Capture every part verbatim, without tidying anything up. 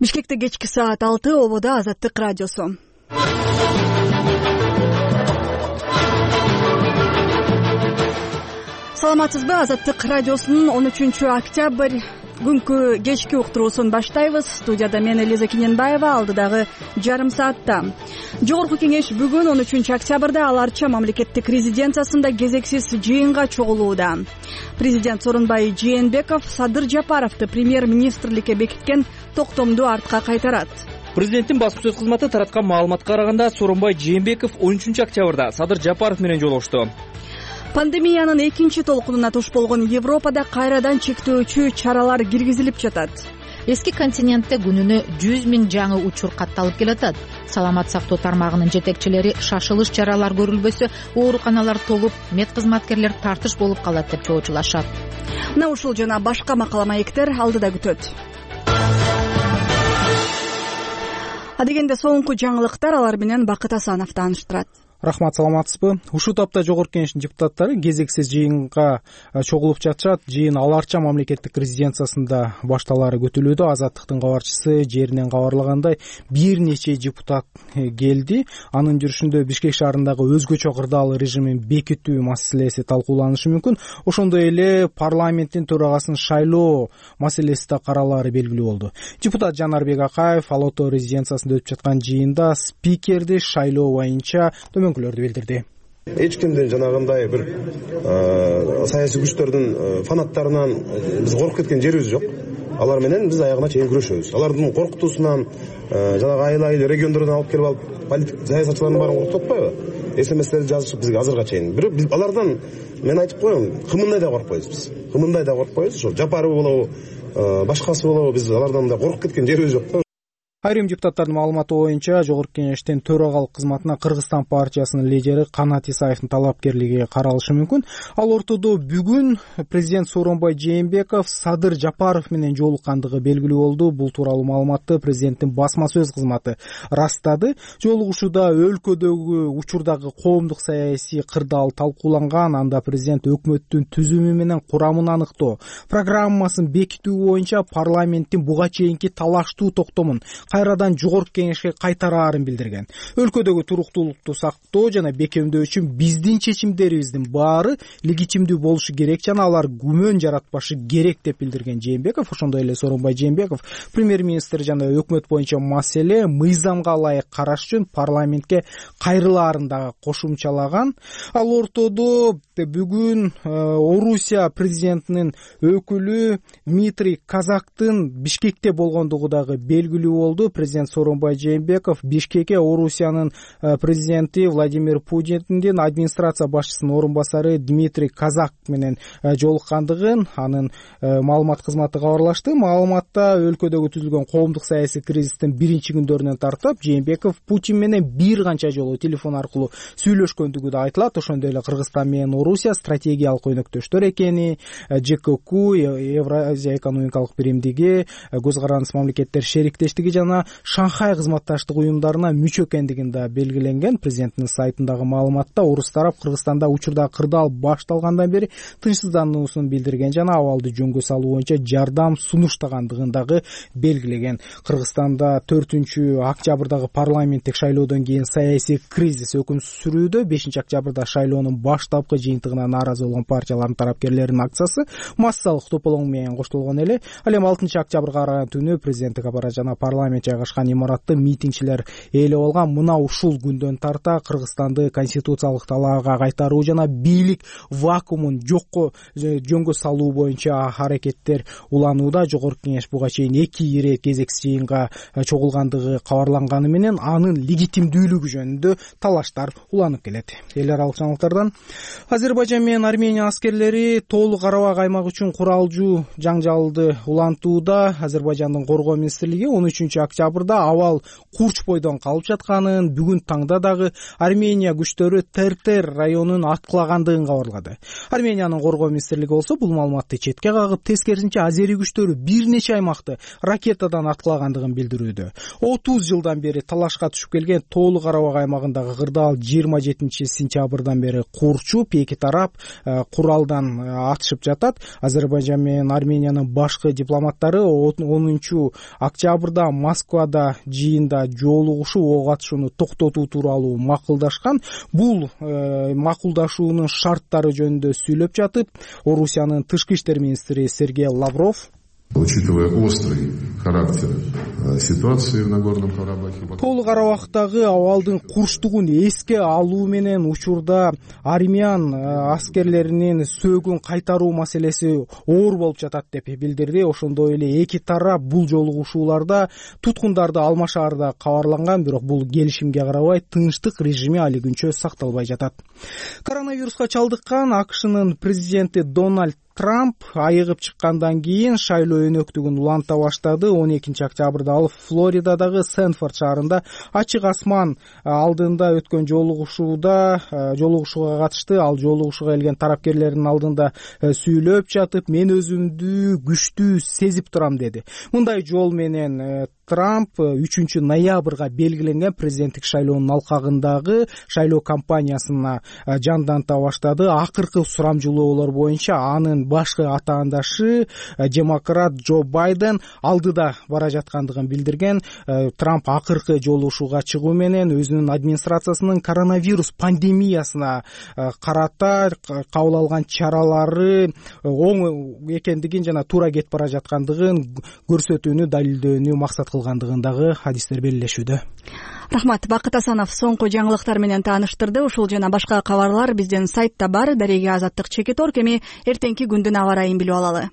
Бишкекте кечки саат алты, ободо Азаттык радиосу. Саламатсызбы? Азаттык радиосунун он үчүнчү октябрь күнкү кечки уктуруусун баштайбыз. Студияда мен Элиза Кененбаева, алдыдагы жарым саатта. Жогорку кеңеш бүгүн он үчүнчү октябрда Ал Арча мамлекеттик резиденциясында кезексиз жыйынга чогулууда. Президент Сооронбай Жээнбеков Садыр Жапаровду премьер-министрликке бекиткен токтомду артка кайтарат. Президенттин басма сөз кызматы тараткан маалыматка караганда Сооронбай Жээнбеков он үчүнчү октябрда Садыр Жапаров менен жолугушту. Пандемиянын экинчи толкунуна туш болгон Европада кайрадан чектөөчү чаралар киргизилип жатат. Эски континентте күнүнө жүз миң жаңы учур катталып келатат. Саламат сактоо тармагынын жетекчилери шашылыш чаралар көрүлбөсө ооруканалар толуп, мед кызматкерлер тартыш болуп калат деп чоочулашат. Мына ушул жана башка макала маектер алдыда күтөт. Адегенде соңку жаңылыктар, алар менен Бакыт Асанов тааныштырат. Рахмат, саламатсызбы? Ушул тапта жогорку кеңештин депутаттары кезексиз жыйынга чогулуп жатышат. Жыйын Ал Арча мамлекеттик резиденциясында башталаары күтүлүүдө. Азаттыктын кабарчысы жеринен кабарлагандай, бир нече депутат келди. Анын жүрүшүндө Бишкек шаарындагы өзгөчө кырдаал режимин бекитүү маселеси талкууланышы мүмкүн. Ошондой эле парламенттин төрагасын шайлоо маселеси да каралаары белгилүү болду. Депутат Жанарбек Акаев Ал Ото резиденциясында өтүп жаткан жыйында спикерди шайлоо боюнча көмөкүлөрдү билдирди. Эч кимдин жанагындай бир саясий күчтөрдүн фанаттарынан биз коркуп кеткен жерибиз жок. Алар менен биз аягына чейин күрөшөбүз. Алардын коркутуусунан жанагы айыл-айыл региондордон алып келип алып политик саясатчылардын баарын коркутуп атпайбы? СМСтерди жазышып бизге азырга чейин. Бирок биз алардан мен айтып коем, кымындай да коркпойбуз биз. Кымындай да коркпойбуз. Ошо Жапаров болобу, башкасы болобу, биз алардан да коркуп кеткен жерибиз жок да. Айрым депутаттардын маалыматы боюнча жогорку кеңештин төрагалык кызматына Кыргызстан партиясынын лидери Канат Исаевдин талапкерлиги каралышы мүмкүн. Ал ортодо бүгүн президент Сооронбай Жээнбеков Садыр Жапаров менен жолуккандыгы белгилүү болду. Бул тууралуу маалыматты президенттин басма сөз кызматы ырастады. Жолугушууда өлкөдөгү учурдагы коомдук саясий кырдаал талкууланган. Анда президент өкмөттүн түзүмү менен курамын аныктоо, программасын бекитүү боюнча парламенттин буга чейинки талаштуу токтомун кайрадан жогорку кеңешке кайтараарын билдирген. Өлкөдөгү туруктуулукту сактоо жана бекемдөө үчүн биздин чечимдерибиздин баары легитимдүү болушу керек жана алар күмөн жаратпашы керек деп билдирген Жээнбеков. Ошондой эле Сооронбай Жээнбеков премьер-министр жана өкмөт боюнча маселе мыйзамга ылайык караш үчүн парламентке кайрылаарын дагы кошумчалаган. Ал ортодо бүгүн Орусия президентинин өкүлү Дмитрий Казактын Бишкекте болгондугу дагы белгилүү болду. Президент Сооронбай Жээнбеков Бишкекке Орусиянын президенти Владимир Путиндин администрация башчысынын орун басары Дмитрий Казак менен жолуккандыгын анын маалымат кызматы кабарлашты. Маалыматта өлкөдөгү түзүлгөн коомдук саясий кризистин биринчи күндөрүнөн тартып Жээнбеков Путин менен бир канча жолу телефон аркылуу сүйлөшкөндүгү да айтылат. Ошондой эле Кыргызстан менен Орусия стратегиялык өнөктөштөр экени, ЖКК, Евразия экономикалык биримдиги, көз карандыс мамлекеттер шериктештиги жана Шанхай кызматташтык уюмдарына мүчө экендигин да белгиленген. Президенттин сайтындагы маалыматта орус тарап Кыргызстанда учурда кырдаал башталгандан бери тынчсыздануусун билдирген жана абалды жөнгө салуу боюнча жардам сунуштагандыгын дагы белгилеген. Кыргызстанда төртүнчү октябрдагы парламенттик шайлоодон кийин саясий кризис өкүм сүрүүдө. бешинчи октябрда шайлоонун баштапкы жыйынтыгына нааразы болгон партиялардын тарапкерлеринин акциясы массалык тополоң менен коштолгон эле. Ал эми алтынчы октябрга караган түнү президенттик аппарат жана парламент жайгашкан имаратты митингчилер ээлеп алган. Мына ушул күндөн тарта Кыргызстанды конституциялык талаага кайтаруу жана бийлик вакуумун жокко жөнгө салуу боюнча аракеттер уланууда. Жогорку кеңеш буга чейин эки ирет кезексиз жыйынга чогулгандыгы кабарланганы менен анын легитимдүүлүгү жөнүндө талаштар уланып келет. Эл аралык жаңылыктардан Азербайжан менен Армения аскерлери тоолук Карабак аймагы үчүн куралжуу жаңжалды улантууда. Азербайжандын коргоо министрлиги он үчүнчү октябрда абал Курч бойдон калып жатканын, бүгүн таңда дагы Армения күчтөрү Тертер районун аткылагандыгын кабарлады. Армениянын коргоо министрлиги болсо бул маалыматты четке кагып, тескерисинче азери күчтөрү бир нече аймакты ракетадан аткылагандыгын билдирүүдө. отуз жылдан бери талашка түшүп келген Тоолу Карабак аймагындагы кырдаал жыйырма жетинчи сентябрдан бери курчуп, эки тарап куралдан атышып жатат. Азербайжан менен Армениянын башкы дипломаттары онунчу октябрда Москвада жыйында жолугушуп ок атышууну токтотуу тууралуу макулдашкан. Бул э, макулдашуунун шарттары жөнүндө сүйлөп жатып, Орусиянын тышкы иштер министри Сергей Лавров, учитывая острый характер ситуации в Нагорном Карабахе, Тоолу Карабактагы абалдын курчтугун эске алуу менен учурда армян аскерлеринин сөөгүн кайтаруу маселеси оор болуп жатат деп билдирди. Ошондой эле эки тарап бул жолугушууларда туткундарды алмашаарда кабарланган, бирок бул келишимге карабай тынчтык режими али күнчө сакталбай жатат. Коронавируска чалдыккан АКШнын президенти Дональд Трамп айыгып чыккандан кийин шайлоо өнөктүгүн уланта баштады. он экинчи октябрда ал Флоридадагы Сенфорд шаарында ачык асман алдында өткөн жолугушууда жолугушууга катышты. Ал жолугушууга келген тарапкерлердин алдында сүйлөп жатып, мен өзүмдү күчтүү сезип турам деди. Мындай жол менен Трамп үчүнчү ноябрга белгиленген президенттик шайлоонун алкагындагы шайлоо кампаниясына жанданта баштады. Акыркы сурамжылоолор боюнча анын башкы атаандашы демократ Джо Байден алдыда бара жаткандыгын билдирген. Трамп акыркы жолугушууга чыгуу менен өзүнүн администрациясынын коронавирус пандемиясына карата кабыл алган чаралары оң экендигин жана туура кетип бара жаткандыгын көрсөтүүнү, далилдөөнү максат кылгандыгын дагы адистер белгилешүүдө. Рахмат. Бакыт Асанов соңку жаңылыктар менен тааныштырды. Ушул жана башка кабарлар биздин сайтта бар. Дареге Азаттык Чекит Орг. Эми эртеңки күндүн аба ырайын билип алалы.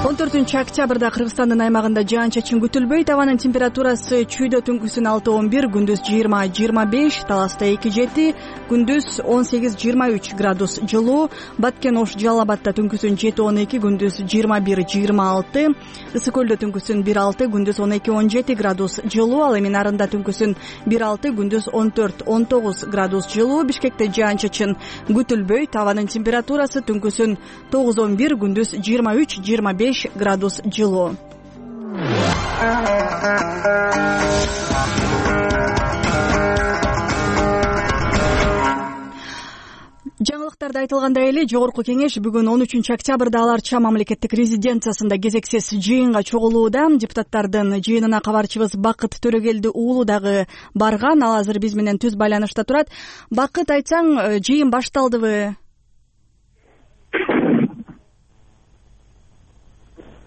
он төртүнчү октябрда Кыргызстандын аймагында жаан-чачын күтүлбөйт. Абанын температурасы чүйдө түнкүсүн алты он бир, күндүз жыйырма жыйырма беш, Таласта эки жети, күндүз он сегиз жыйырма үч градус жылуу. Баткен Ош Жалал Абадта түнкүсүн жети он эки, күндүз жыйырма бир жыйырма алты, Ысык Көлдө түнкүсүн бир алты, күндүз он эки он жети градус жылуу. Ал эми Нарында түнкүсүн бир алты, күндүз он төрт он тогуз градус жылуу. Бишкекте жаан-чачын күтүлбөйт. Абанын температурасы түнкүсүн тогуз он бир, күндүз жыйырма үч жыйырма беш градус жылуу. Жаңылыктарда айтылгандай эле Жогорку кеңеш бүгүн он үчүнчү октябрда Ала Арча мамлекеттик резиденциясында кезексиз жыйынга чогулууда. Депутаттардын жыйынына кабарчыбыз Бакыт Төрөгелди уулу дагы барган. Ал азыр биз менен түз байланышта турат. Бакыт, айтсаң, жыйын башталдыбы?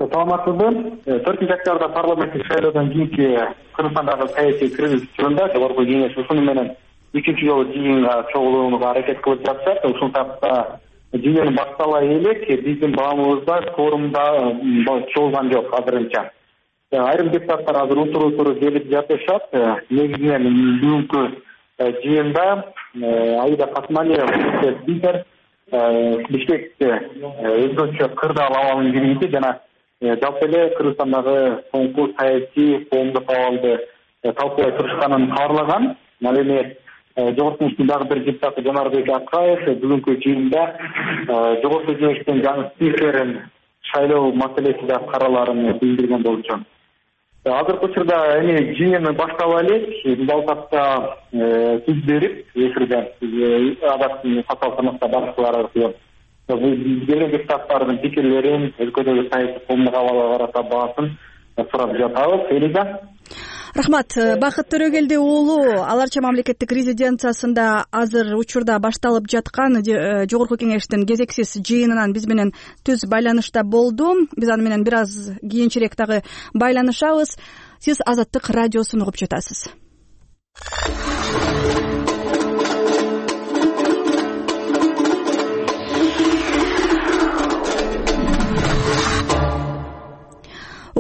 Саламатсызбы. төртүнчү октябрда парламенттик шайлоодон кийинки Кыргызстандагы саясий кризис жөнүндө Жогорку кеңеш ушуну менен үчүнчү жолу жыйынга чогулууга аракет кылып жатышат. Ушул тапта жыйын башталай элек биздин баамыбызда форумда чогулган жок азырынча. Айрым депутаттар азыр утур утур келип жатышат. Негизинен бүгүнкү жыйында Аида Касмалиева спикер Бишкекте өзгөчө кырдаал абалын киргизди жана жалпы эле Кыргызстандагы соңку саясий коомдук абалды талкуулай турушканын кабарлаган. Ал эми Жогорку кеңештин дагы бир депутаты Жанарбек Акаев бүгүнкү жыйында Жогорку кеңештин жаңы спикерин шайлоо маселесинде караларын билдирген болчу. Азыркы учурда эми жыйын баштала элек, бул тапта сөз берип, эфирде адактын катаал тармакта башкалар аркылуу келген депутаттардын пикирлерин, өлкөдөгү саясий коомдук абалга карата баасын сурап жатабыз. Элиза. Рахмат. Бакыт Төрөгелди уулу, Ала Арча мамлекеттик резиденциясында азыр учурда башталып жаткан Жогорку кеңештин кезексиз жыйынынан биз менен түз байланышта болду. Биз аны менен бир аз кийинчерээк дагы байланышабыз. Сиз Азаттык радиосун угуп жатасыз.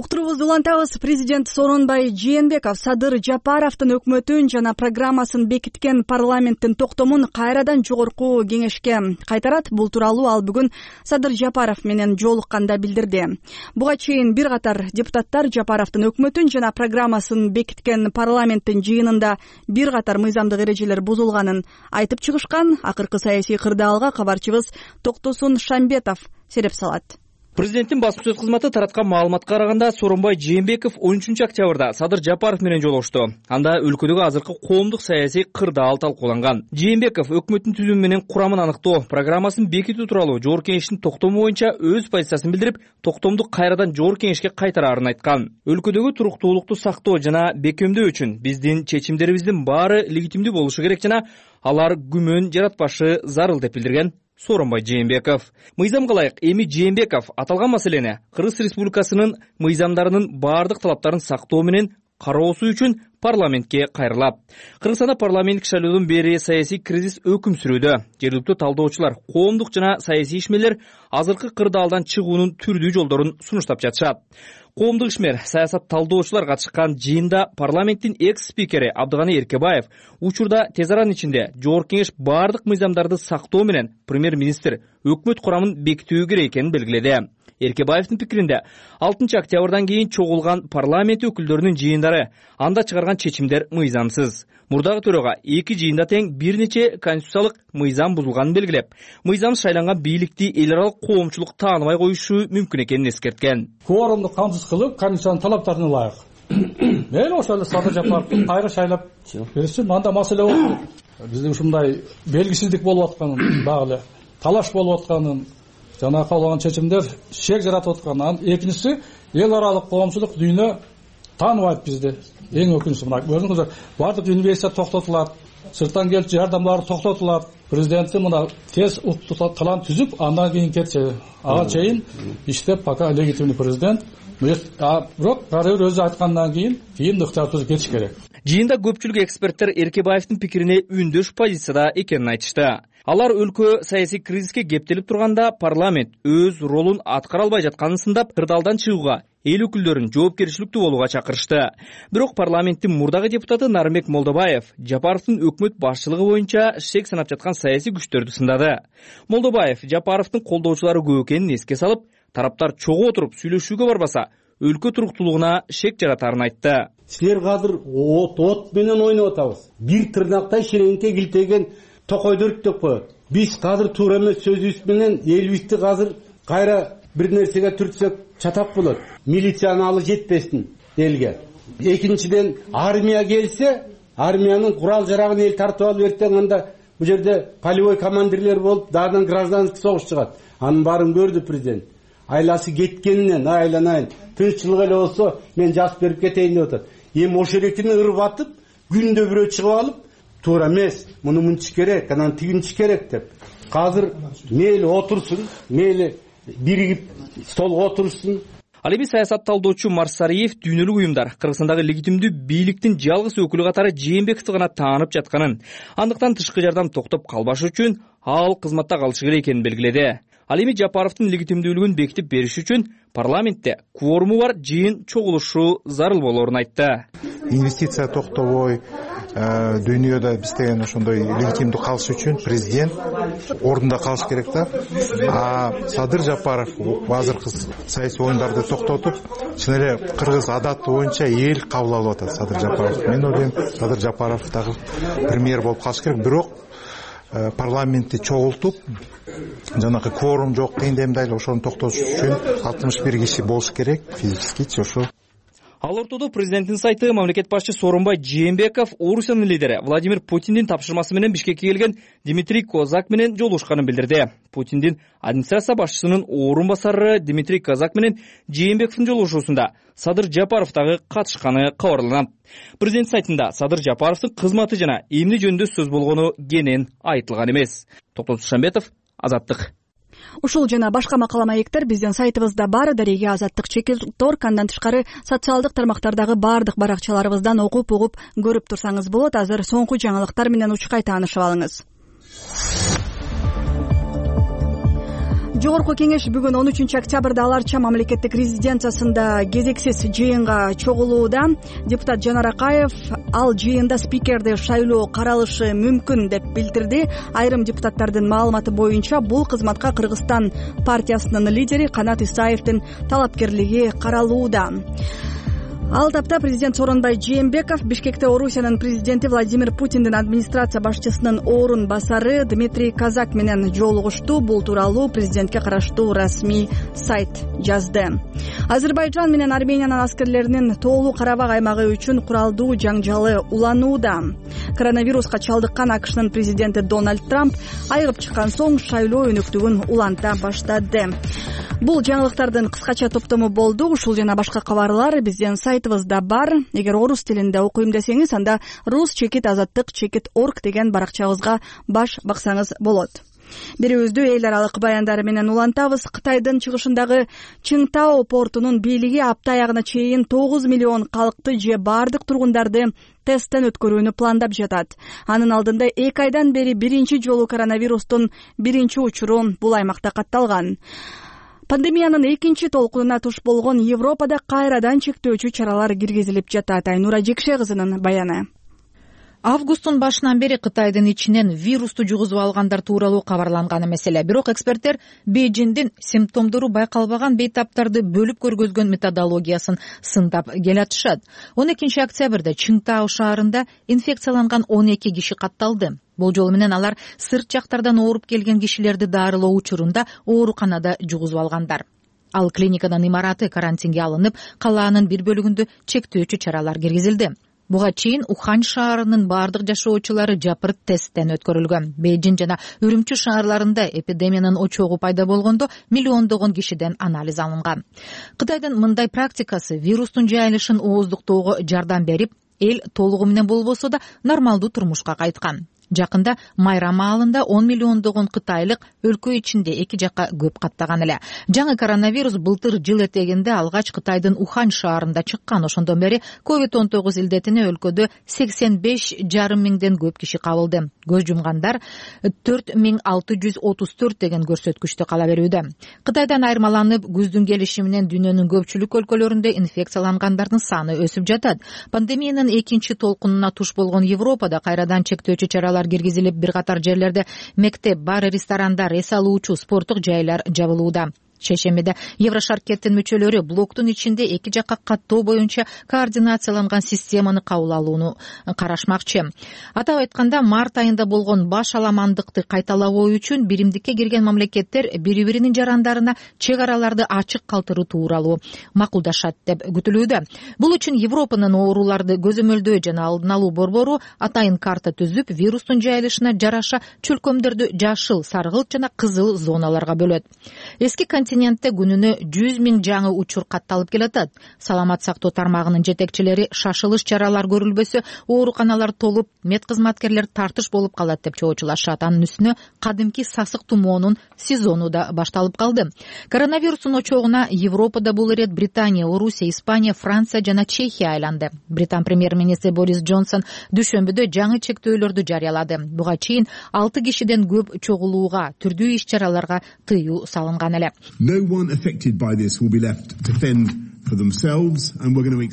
уктуруубузду улантабыз. Президент Сооронбай Жээнбеков Садыр Жапаровдун өкмөтүн жана программасын бекиткен парламенттин токтомун кайрадан жогорку кеңешке кайтарат. Бул тууралуу ал бүгүн Садыр Жапаров менен жолукканда билдирди. Буга чейин бир катар депутаттар Жапаровдун өкмөтүн жана программасын бекиткен парламенттин жыйынында бир катар мыйзамдык эрежелер бузулганын айтып чыгышкан. Акыркы саясий кырдаалга кабарчыбыз Токтосун Шамбетов сереп салат. Президенттин басма сөз кызматы тараткан маалыматка караганда Сооронбай Жээнбеков он үчүнчү октябрда Садыр Жапаров менен жолугушту. Анда өлкөдөгү азыркы коомдук саясий кырдаал талкууланган. Жээнбеков өкмөттүн түзүмү менен курамын аныктоо, программасын бекитүү тууралуу жогорку кеңештин токтому боюнча өз позициясын билдирип, токтомду кайрадан жогорку кеңешке кайтараарын айткан. Өлкөдөгү туруктуулукту сактоо жана бекемдөө үчүн биздин чечимдерибиздин баары легитимдүү болушу керек жана алар күмөн жаратпашы зарыл деп билдирген Сооронбай Жээнбеков. Мыйзамга ылайык эми Жээнбеков аталган маселени Кыргыз Республикасынын мыйзамдарынын баардык талаптарын сактоо менен кароосу үчүн парламентке кайрылат. Кыргызстанда парламенттик шайлоодон бери саясий кризис өкүм сүрүүдө. Жергиликтүү талдоочулар, коомдук жана саясий ишмерлер азыркы кырдаалдан чыгуунун түрдүү жолдорун сунуштап жатышат. Коомдук ишмер, саясат талдоочулар катышкан жыйында парламенттин экс-спикери Абдыганы Эркебаев учурда тез аранын ичинде жогорку кеңеш баардык мыйзамдарды сактоо менен премьер-министр өкмөт курамын бекитүү керек экенин белгиледи. Эркебаевдин пикиринде алтынчы октябрдан кийин чогулган парламент өкүлдөрүнүн жыйындары анда чыгарган чечимдер мыйзамсыз. Мурдагы төрага эки жыйында тең бир нече конституциялык мыйзам бузулганын белгилеп, мыйзам шайланган бийликти эл аралык коомчулук тааныбай коюшу мүмкүн экенин эскерткен. Кворумду камсыз кылып, конституциянын талаптарына ылайык. Мен ошол эле Садыр Жапаровду кайра шайлап берсем, анда маселе болот. Бизде ушундай белгисиздик болуп атканын, багы эле талаш болуп атканын, жана кабылган чечимдер шек жаратып атканын. Экинчиси, эл аралык коомчулук дүйнө тааныбайт бизди. Эң өкүнчүсү мына көрдүңүздөр, баардык университет токтотулат, сырттан келчү жардамдары токтотулат. Президенти мына тез уктук калам түзүп, андан кийин кетсе, ага чейин иштеп, пока легитимный президент. Бирок баары бир өзү айткандан кийин кийин ыктыяр түзүп кетиш керек. Жыйында көпчүлүк эксперттер Эркебаевдин пикирине үндөш позицияда экенин айтышты. Алар өлкө саясий кризиске кептелип турганда парламент өз ролун аткара албай жатканын сындап, кырдаалдан чыгууга, эл өкүлдөрүн жоопкерчиликтүү болууга чакырышты. Бирок парламенттин мурдагы депутаты Нарымбек Молдобаев Жапаровдун өкмөт башчылыгы боюнча шек санап жаткан саясий күчтөрдү сындады. Молдобаев Жапаровдун колдоочулары көп экенин эске салып, тараптар чогуу отуруп сүйлөшүүгө барбаса, өлкө туруктуулугуна шек жаратарын айтты. Силер азыр от от менен ойноп атабыз. Бир тырнактай ширеңке килтеген токойду өрттөп коет. Биз азыр туура эмес сөзүбүз менен элибизди азыр кайра бир нерсеге түртсөк чатак болот. Милицияны алы жетпесин элге. Экинчиден, армия келсе, армиянын курал жарагын эл тартып алып эртең анда бу жерде полевой командирлер болуп, дагы гражданский согуш чыгат. Анын баарын көрдү президент. Айласы кеткенинен айланайын. Тынччылык эле болсо мен жазып берип кетейин деп атат. Эми ошол эректени ырып атып, күндө бирөө чыгып алып, туура эмес, муну мынча керек, анан тигинчи керек деп. Азыр мейли отурсун, мейли биригип столго отурушсун. Ал эми саясат талдоочу Марсариев дүйнөлүк уюмдар Кыргызстандагы легитимдүү бийликтин жалгыз өкүлү катары Жээнбековду гана таанып жатканын, андыктан тышкы жардам токтоп калбашы үчүн ал кызматта калышы керек экенин белгиледи. Ал эми Жапаровдун легитимдүүлүгүн бекитип бериш үчүн парламентте кворуму бар жыйын чогулушу зарыл болоорун айтты. Инвестиция токтобой, дүйнөдө биз деген ошондой легитимдүү калыш үчүн президент ордунда калыш керек да. А Садыр Жапаров азыркы саясий оюндарды токтотуп, чын эле кыргыз адаты боюнча эл кабыл алып атат Садыр Жапаров. Мен ойлойм, Садыр Жапаров дагы премьер болуп калыш керек. Бирок парламентти чогултуп, жанагы кворум жок дегенде дайыл ошону токтотуш үчүн алтымыш бир киши болуш керек, физически ошо. Ал ортодо президенттин сайты мамлекет башчы Сооронбай Жээнбеков Орусиянын лидери Владимир Путиндин тапшырмасы менен Бишкекке келген Дмитрий Козак менен жолугушканын билдирди. Путиндин администрация башчысынын орун басары Дмитрий Козак менен Жээнбековдун жолугушуусунда Садыр Жапаров дагы катышканы кабарланат. Президент сайтында Садыр Жапаровдун кызматы жана эмне жөнүндө сөз болгону кенен айтылган эмес. Токтосун Шамбетов, Азаттык. Ушул жана башка макала маектер биздин сайтыбызда бар. Дареге Азаттык чекит.орг, андан тышкары социалдык тармактардагы бардык баракчаларыбыздан окуп угуп көрүп турсаңыз болот. Азыр соңку жаңылыктар менен учкай таанышып алыңыз. Жогорку кеңеш бүгүн он үчүнчү октябрда Ала Арча мамлекеттик резиденциясында кезексиз жыйынга чогулууда. Депутат Жанар Акаев ал жыйында спикерди шайлоо каралышы мүмкүн деп билдирди. Айрым депутаттардын маалыматы боюнча бул кызматка Кыргызстан партиясынын лидери Канат Исаевдин талапкерлиги каралууда. Ал тапта президент Сооронбай Жээнбеков Бишкекте Орусиянын президенти Владимир Путиндин администрация башчысынын орун басары Дмитрий Казак менен жолугушту. Бул тууралуу президентке караштуу расмий сайт жазды. Азербайжан менен Армениянын аскерлеринин тоолуу Карабак аймагы үчүн куралдуу жаңжалы уланууда. Коронавируска чалдыккан АКШнын президенти Дональд Трамп айыгып чыккан соң шайлоо өнөктүгүн уланта баштады. Бул жаңылыктардын кыскача топтому болду. Ушул жана башка кабарлар биздин сайтыбызда бар. Эгер орус тилинде окуйм десеңиз, анда рус чекит азаттык чекит орг деген баракчабызга баш баксаңыз болот. Берүүбүздү эл аралык баяндары менен улантабыз. Кытайдын чыгышындагы Чыңтао портунун бийлиги апта аягына чейин тогуз миллион калкты же бардык тургундарды тесттен өткөрүүнү пландап жатат. Анын алдында эки айдан бери биринчи жолу коронавирустун биринчи учуру бул аймакта катталган. Пандемиянын экинчи толкунуна туш болгон Европада кайрадан чектөөчү чаралар киргизилип жатат. Айнура Жекше кызынын баяны. Августтун башынан бери Кытайдын ичинен вирусту жугузуп алгандар тууралуу кабарланган маселе. Бирок эксперттер Бейжиңдин симптомдору байкалбаган бейтаптарды бөлүп көргөзгөн методологиясын сындап келатышат. он экинчи октябрда Чыңтао шаарында инфекцияланган он эки киши катталды. Бул жолу менен алар сырт жактардан ооруп келген кишилерди дарылоо учурунда ооруканада жугузуп алгандар. Ал клиниканын имараты карантинге алынып, калаанын бир бөлүгүндө чектөөчү чаралар киргизилди. Буга чейин Ухань шаарынын бардык жашоочулары жапырт тесттен өткөрүлгөн. Бейжиң жана Үрүмчү шаарларында эпидемиянын очогу пайда болгондо миллиондогон кишиден анализ алынган. Кытайдын мындай практикасы вирустун жайылышын ооздуктоого жардам берип, эл толугу менен болбосо да нормалдуу турмушка кайткан. Жакында майрам маалында он миллиондогон кытайлык өлкө ичинде эки жакка көп каттаган эле. Жаңы коронавирус былтыр жыл этегинде алгач Кытайдын Ухань шаарында чыккан. Ошондон бери ковид он тогуз илдетине өлкөдө сексен беш жарым миңден көп киши кабылды. Көз жумгандар төрт миң алты жүз отуз төрт деген көрсөткүчтү кала берүүдө. Кытайдан айырмаланып, күздүн келиши менен дүйнөнүн көпчүлүк өлкөлөрүндө инфекциялангандардын саны өсүп жатат. Пандемиянын экинчи толкунуна туш болгон Европада кайрадан чектөөчү чаралар киргизилип, бир катар жерлерде мектеп, бар, ресторандар, эс алуучу, спорттук жайлар жабылууда. Шейшембиде Еврошаркеттин мүчөлөрү блоктун ичинде эки жакка каттоо боюнча координацияланган системаны кабыл алууну карашмакчы. Атап айтканда, март айында болгон баш аламандыкты кайталабоо үчүн биримдикке кирген мамлекеттер бири-биринин жарандарына чек араларды ачык калтыруу тууралуу макулдашат деп күтүлүүдө. Бул үчүн Европанын ооруларды көзөмөлдөө жана алдын алуу борбору атайын карта түзүп, вирустун жайылышына жараша чөлкөмдөрдү жашыл, саргылт жана кызыл зоналарга бөлөт. Эски континентте күнүнө жүз миң жаңы учур катталып келатат. Саламат сактоо тармагынын жетекчилери шашылыш чаралар көрүлбөсө, ооруканалар толуп, мед кызматкерлер тартыш болуп калат деп чоочулашат. Анын үстүнө кадимки сасык тумоонун сезону да башталып калды. Коронавирустун очогуна Европада бул ирет Британия, Орусия, Испания, Франция жана Чехия айланды. Британ премьер-министри Борис Джонсон дүшөмбүдө жаңы чектөөлөрдү жарыялады. Буга чейин алты кишиден көп чогулууга, түрдүү иш-чараларга тыюу салынган эле.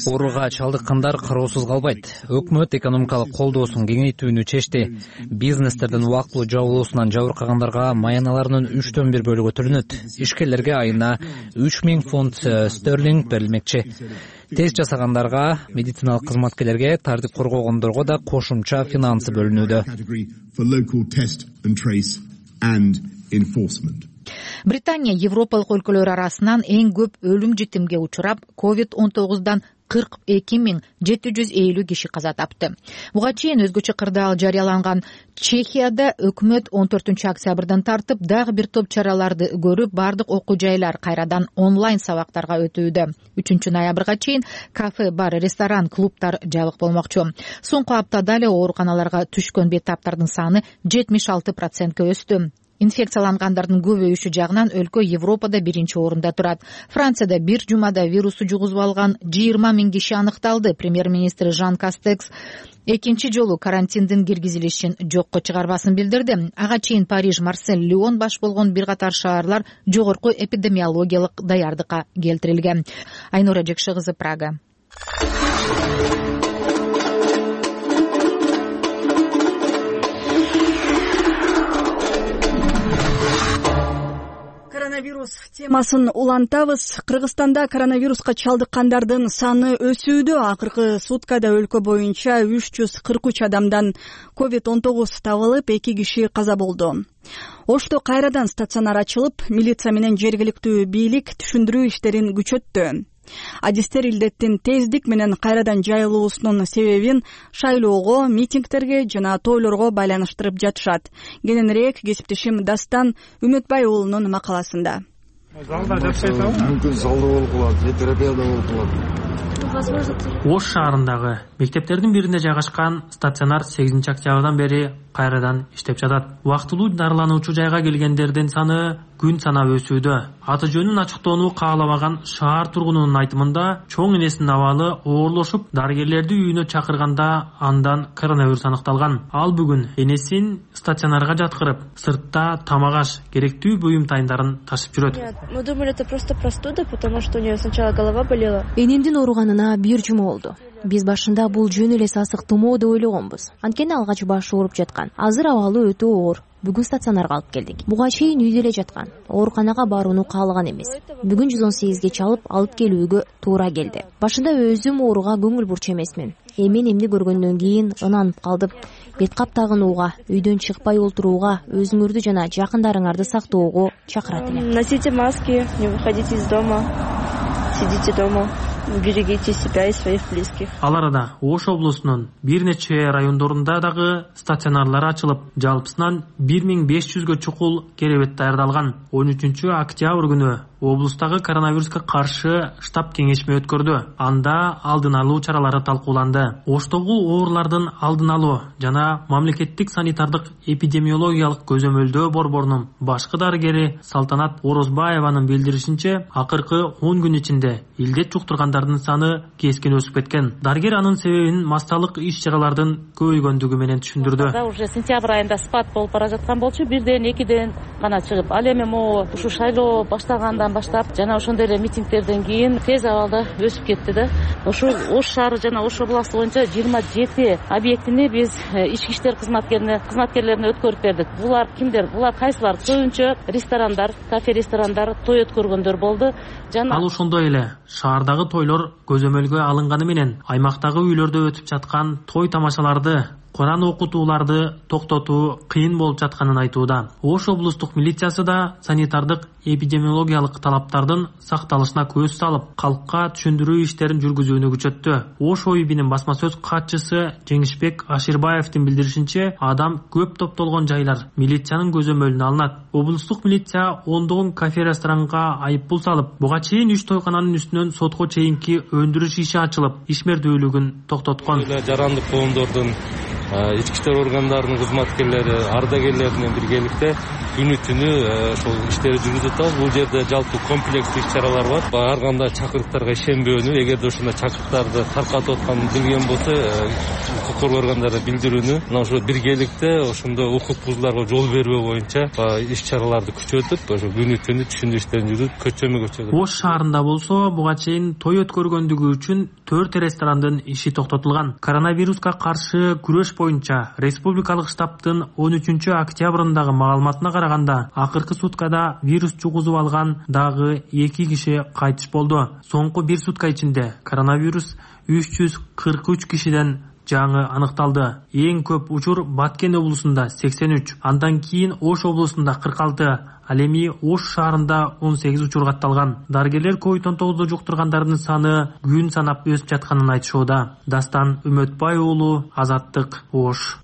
Ооруга чалдыккандар кароосуз калбайт. Өкмөт экономикалык колдоосун кеңейтүүнү чечти. Бизнестердин убактылуу жабылуусунан жабыркагандарга маяналарынын үчтөн бир бөлүгү төлөнөт. Ишкерлерге айына үч миң фунт стерлинг берилмекчи. Тест жасагандарга, медициналык кызматкерлерге, тартип коргогондорго да кошумча финансы бөлүнүүдө. Британия Европалык өлкөлөр арасынан эң көп өлүм житимге учурап, ковид он тогуздан кырк эки миң жети жүз элүү киши каза тапты. Буга чейин өзгөчө кырдаал жарыяланган Чехияда өкмөт он төртүнчү октябрдан тартып дагы бир топ чараларды көрүп, бардык окуу жайлар кайрадан онлайн сабактарга өтүүдө. үчүнчү ноябрга чейин кафе, бар, ресторан, клубтар жабык болмокчу. Соңку аптада эле ооруканаларга түшкөн бейтаптардын саны жетимиш алты процентке өстү. Инфекциялангандардын көбөйүшү жагынан өлкө Европада биринчи орунда турат. Францияда бир жумада вирусту жугузуп алган жыйырма миң киши аныкталды. Премьер-министр Жан Кастекс экинчи жолу карантиндин киргизилишин жокко чыгарбасын билдирди. Ага чейин Париж, Марсель, Лион баш болгон бир катар шаарлар жогорку эпидемиологиялык даярдыкка келтирилген. Айнура Жекши кызы, Прага. Коронавирус темасын улантабыз. Кыргызстанда коронавируска чалдыккандардын саны өсүүдө. Акыркы суткада өлкө боюнча үч жүз кырк үч адамдан ковид он тогуз табылып, эки киши каза болду. Ошто кайрадан стационар ачылып, милиция менен жергиликтүү бийлик түшүндүрүү иштерин күчөттү. Адистер илдеттин тездик менен кайрадан жайылуусунун себебин шайлоого, митингтерге жана тойлорго байланыштырып жатышат. Кененирээк кесиптешим Дастан Үмөтбай уулунун макаласында. Мүмкүн залда болуп калат, же терапияда болуп калат. Ош шаарындагы мектептердин биринде жайгашкан стационар сегизинчи октябрдан бери кайрадан иштеп жатат. Убактылуу дарылануучу жайга келгендердин саны күн санап өсүүдө. Аты жөнүн ачыктоону каалабаган шаар тургунунун айтымында, чоң энесинин абалы оорлошуп, дарыгерлерди үйүнө чакырганда андан коронавирус аныкталган. Ал бүгүн энесин стационарга жаткырып, сыртта тамак аш, керектүү буюм тайындарын ташып жүрөт. Мы думали, это просто простуда, потому что у нее сначала голова болела. Энемдин ооруганына бир жума болду. Биз башында бул жөн эле сасык тумоо деп ойлогонбуз. Анткени алгач башы ооруп жаткан. Азыр абалы өтө оор. Бүгүн стационарга алып келдик. Буга чейин үйдө эле жаткан. Ооруканага барууну каалаган эмес. Бүгүн жүз он сегизге чалып алып келүүгө туура келди. Башында өзүм ооруга көңүл бурчу эмесмин. Эми эмни көргөндөн кийин ынанып калдым. Бет кап тагынууга, үйдөн чыкпай олтурууга, өзүңөрдү жана жакындарыңарды сактоого чакырат элем. Носите маски, не выходите из дома, сидите дома. Берегите себя и своих близких. Ал арада Ош облусунун бир нече райондорунда дагы стационарлар ачылып, жалпысынан бир миң беш жүзгө чукул керебет даярдалган. он үчүнчү октябрь күнү облустагы коронавируска каршы штаб кеңешме өткөрдү. Анда алдын алуу чаралары талкууланды. Оштогу оорулардын алдын алуу жана мамлекеттик санитардык эпидемиологиялык көзөмөлдөө борборунун башкы дарыгери Салтанат Орозбаеванын билдиришинче, акыркы он күн ичинде илдет жуктургандардын саны кескин өсүп кеткен. Дарыгер анын себебин масталык иш-чаралардын көбөйгөндүгү менен түшүндүрдү. Уже сентябрь айында спад болуп бара жаткан болчу, бирден экиден гана чыгып, ал эми могу ушу шайлоо башталгандан баштап жана ошондой эле митингтерден кийин тез абалда өсүп кетти да. Ошол Ош шаары жана Ош областы боюнча жыйырма жети объектини биз ички иштер кызматкерине кызматкерлерине өткөрүп бердик. Булар кимдер? Булар кайсылар? Көбүнчө ресторандар, кафе ресторандар, той өткөргөндөр болду. Жана ал ошондой эле шаардагы тойлор көзөмөлгө алынганы менен аймактагы үйлөрдө өтүп жаткан той тамашаларды, Куран окутууларды токтотуу кыйын болуп жатканын айтууда. Ош облустук милициясы да санитардык эпидемиологиялык талаптардын сакталышына көз салып, калкка түшүндүрүү иштерин жүргүзүүнү күчөттү. Ош ОИБинин басма сөз катчысы Жеңишбек Аширбаевдин билдиришинче, адам көп топтолгон жайлар милициянын көзөмөлүнө алынат. Облустук милиция ондогон кафе-ресторанга айыппул салып, буга чейин үч тойкананын үстүнөн сотко чейинки өндүрүш иши ачылып, ишмердүүлүгүн токтоткон. Жарандык коомдордун ички иштер органдарынын кызматкерлери, ардагерлер менен биргеликте күнү түнү ошол иштерди жүргүзүп атабыз. Бул жерде жалпы комплекстик иш-чаралар бар. Ар кандай чакырыктарга ишенбөөнү, эгерде ошондой чакырыктарды таркатып атканын билген болсо, укук коргоо органдарына билдирүүнү, мына ошо биргеликте ошондой укук бузууларга жол бербөө боюнча иш-чараларды күчөтүп, ошо күнү түнү түшүндүрүү иштерин жүргүзүп, көчөмө көчөгө. Ош шаарында болсо, буга чейин той өткөргөндүгү үчүн төрт ресторандын иши токтотулган. Коронавируска каршы күрөш боюнча республикалык штабтын он үчүнчү октябрындагы маалыматына караганда, акыркы суткада вирус жугузуп алган дагы эки киши кайтыш болду. Соңку бир сутка ичинде коронавирус үч жүз кырк үч кишиден жаңы аныкталды. Эң көп учур Баткен облусунда сексен үч, андан кийин Ош облусунда кырк алты, ал эми Ош шаарында он сегиз учур катталган. Дарыгерлер ковид он тогузду жуктургандардын саны күн санап өсүп жатканын айтышууда. Дастан Үмөтбай уулу, Азаттык, Ош.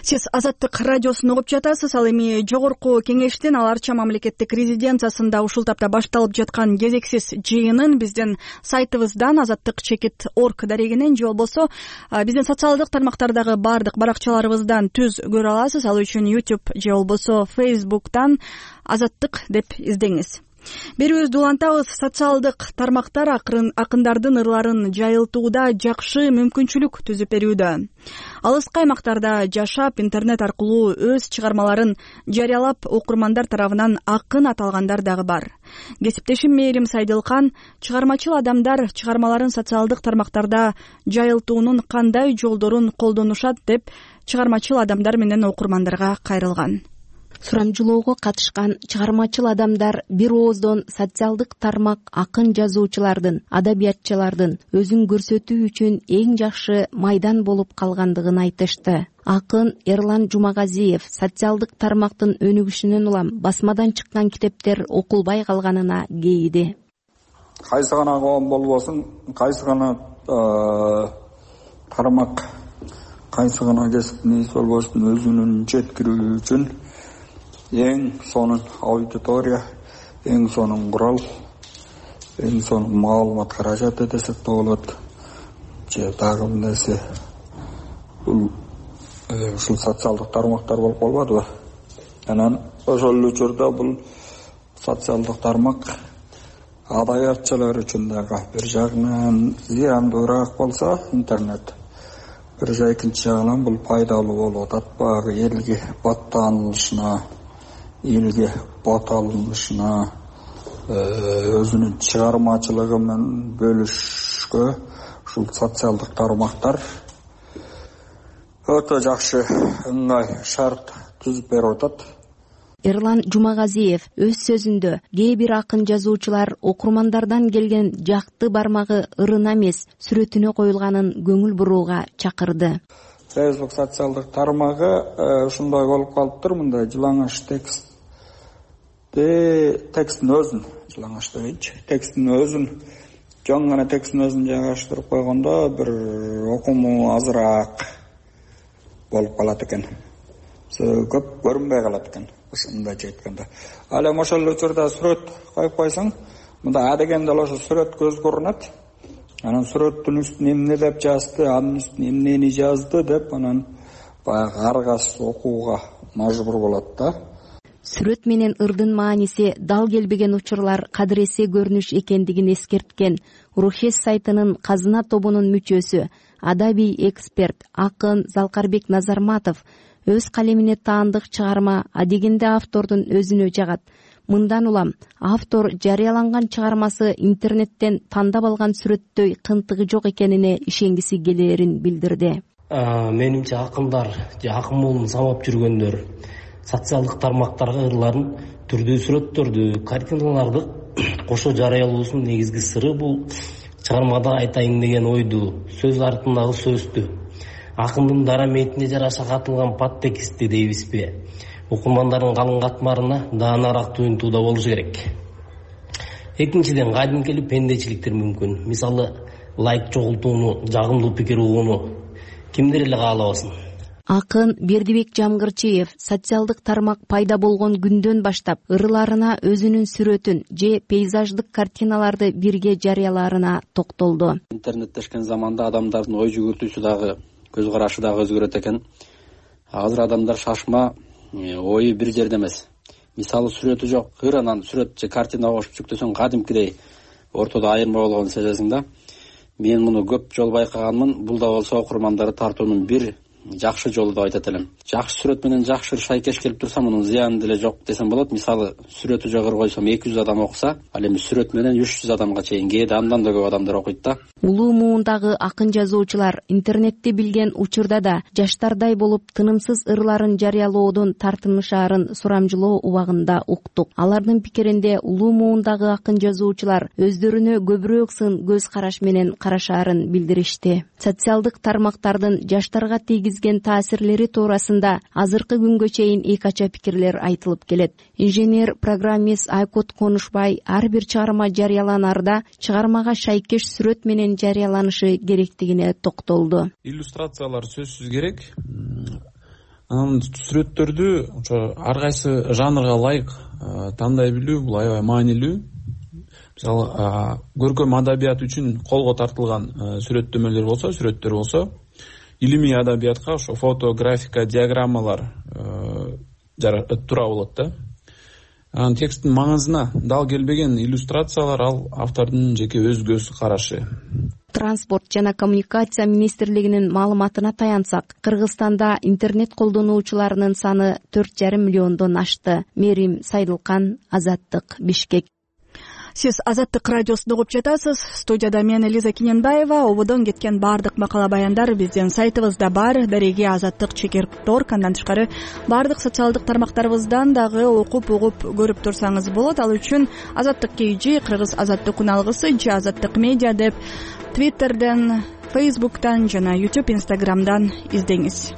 Сиз Азаттык радиосун угуп жатасыз. Ал эми жогорку кеңештин ал арча мамлекеттик резиденциясында ушул тапта башталып жаткан кезексиз жыйынын биздин сайтыбыздан азаттык чекит орг дарегинен же болбосо биздин социалдык тармактардагы баардык баракчаларыбыздан түз көрө аласыз. Ал үчүн YouTube же болбосо Facebook'тан Азаттык деп издеңиз. Берүүбүздү улантабыз. Социалдык тармактар акындардын ырларын жайылтууда жакшы мүмкүнчүлүк түзүп берүүдө. Алыскы аймактарда жашап, интернет аркылуу өз чыгармаларын жарыялап, окурмандар тарабынан акын аталгандар дагы бар. Кесиптешим Мээрим Сайдылкан чыгармачыл адамдар чыгармаларын социалдык тармактарда жайылтуунун кандай жолдорун колдонушат деп чыгармачыл адамдар менен окурмандарга кайрылган. Сурамжылоого катышкан чыгармачыл адамдар бир ооздон социалдык тармак акын жазуучулардын, адабиятчылардын өзүн көрсөтүү үчүн эң жакшы майдан болуп калгандыгын айтышты. Акын Эрлан Жумагазиев социалдык тармактын өнүгүшүнөн улам басмадан чыккан китептер окулбай калганына кейиди. Кайсы гана коом болбосун, кайсы гана тармак, кайсы гана кесиптин ээси болбосун өзүнүн жеткирүү үчүн эң сонун аудитория, эң сонун курал, эң сонун маалымат каражаты десек да болот. Же дагы бир нерсе бул ушул социалдык тармактар болуп калбадыбы? Анан ошол учурда бул социалдык тармак адабиятчылар үчүн дагы бир жагынан зыяндуураак болсо интернет, бир жай экинчи жагынан бул пайдалуу болуп атат. Багы элге баттанылышына, элге бат алынышына, өзүнүн чыгармачылыгы менен бөлүшкө ушул социалдык тармактар өтө жакшы ыңгай шарт түзүп берип атат. Эрлан Жумагазиев өз сөзүндө кээ бир акын жазуучулар окурмандардан келген жакты бармагы ырына эмес, сүрөтүнө коюлганын көңүл бурууга чакырды. Facebook социалдык тармагы ушундай болуп калыптыр, мындай жылаңаш текст тексттин өзүн, жылаңаш дегенчи, тексттин өзүн, жөн гана тексттин өзүн жайгаштырып койгондо бир окуму азыраак болуп калат экен. Көп көрүнбөй калат экен, ушундайча айтканда. Ал эми ошол учурда сүрөт коюп койсоң, мында а дегенде ошо сүрөт көз көрүнөт. Анан сүрөттүн үстүнө эмне деп жазды, анын үстүнө эмнени жазды деп анан баягы аргасыз окууга мажбур болот да. Сүрөт менен ырдын мааниси дал келбеген учурлар кадыресе көрүнүш экендигин эскерткен Рухес сайтынын казына тобунун мүчөсү, адабий эксперт акын Залкарбек Назарматов өз калемине таандык чыгарма адегенде автордун өзүнө жагат. Мындан улам автор жарыяланган чыгармасы интернеттен тандап алган сүрөттөй кынтыгы жок экенине ишенгиси келээрин билдирди. Менимче акындар же акын болуп самап жүргөндөр социалдык тармактарга ырларын, түрдүү сүрөттөрдү, картиналарды кошо жарыялоосунун негизги сыры бул чыгармада айтайын деген ойду, сөз артындагы сөздү, акындын дара метине жараша катылган подтекстти дейбизби, окумандардын калың катмарына даанараак туюнтууда болушу керек. Экинчиден, кадимкелик пендечиликтер мүмкүн. Мисалы, лайк чогултууну, жагымдуу пикир угууну кимдир эле каалабасын. Акын Бердибек Жамгырчиев социалдык тармак пайда болгон күндөн баштап ырларына өзүнүн сүрөтүн же пейзаждык картиналарды бирге жарыялаарына токтолду. Интернеттешкен заманда адамдардын ой жүгүртүүсү дагы, көз карашы дагы өзгөрөт экен. Азыр адамдар шашма, ою бир жерде эмес. Мисалы сүрөтү жок, ырынан сүрөт же картина кошуп жүктөсөң кадимкидей ортодо айырма болгонун сезесиң да. Мен муну көп жолу байкаганмын. Бул да болсо окурмандарды тартуунун бир жакшы жолу деп айтат элем. Жакшы сүрөт менен жакшы шайкеш келип турса, мунун зыяны деле жок десем болот. Мисалы, сүрөтү жогору койсом эки жүз адам окуса, ал эми сүрөт менен үч жүз адамга чейин, кээде андан да көп адамдар окуйт да. Улуу муундагы акын жазуучулар интернетти билген учурда да жаштардай болуп тынымсыз ырларын жарыялоодон тартынышаарын сурамжылоо убагында уктук. Алардын пикиринде улуу муундагы акын жазуучулар өздөрүнө көбүрөөк сын көз караш менен карашаарын билдиришти. Социалдык тармактардын жаштарга тийгизген таасирлери туурасында азыркы күнгө чейин эки ача пикирлер айтылып келет. Инженер программист Айкот Конушбай ар бир чыгарма жарыяланарда чыгармага шайкеш сүрөт менен жарыяланышы керектигине токтолду. Иллюстрациялар сөзсүз керек. анан сүрөттөрдү ошо ар кайсы жанрга ылайык тандай билүү бул аябай маанилүү. Мисалы көркөм адабият үчүн колго тартылган сүрөттөмөлөр болсо, сүрөттөр болсо, илимий адабиятка ошо фото, графика, диаграммалар туура болот да. Анан тексттин маңызына дал келбеген иллюстрациялар ал автордун жеке өз көз карашы. Транспорт жана коммуникация министрлигинин маалыматына таянсак, Кыргызстанда интернет колдонуучуларынын саны төрт жарым миллиондон ашты. Мерим Сайдылкан, Азаттык, Бишкек. Сиз Азаттык радиосунда угуп жатасыз. Студияда мен Элиза Киненбаева. Ободон кеткен баардык макала баяндар биздин сайтыбызда бар. Дареги Азаттык чекер точка орг. Андан тышкары баардык социалдык тармактарыбыздан дагы окуп угуп көрүп турсаңыз болот. Ал үчүн Азаттык кей, Кыргыз Азаттык уналгысы же Азаттык медиа деп Твиттерден, Фейсбуктан жана YouTube, Инстаграмдан издеңиз.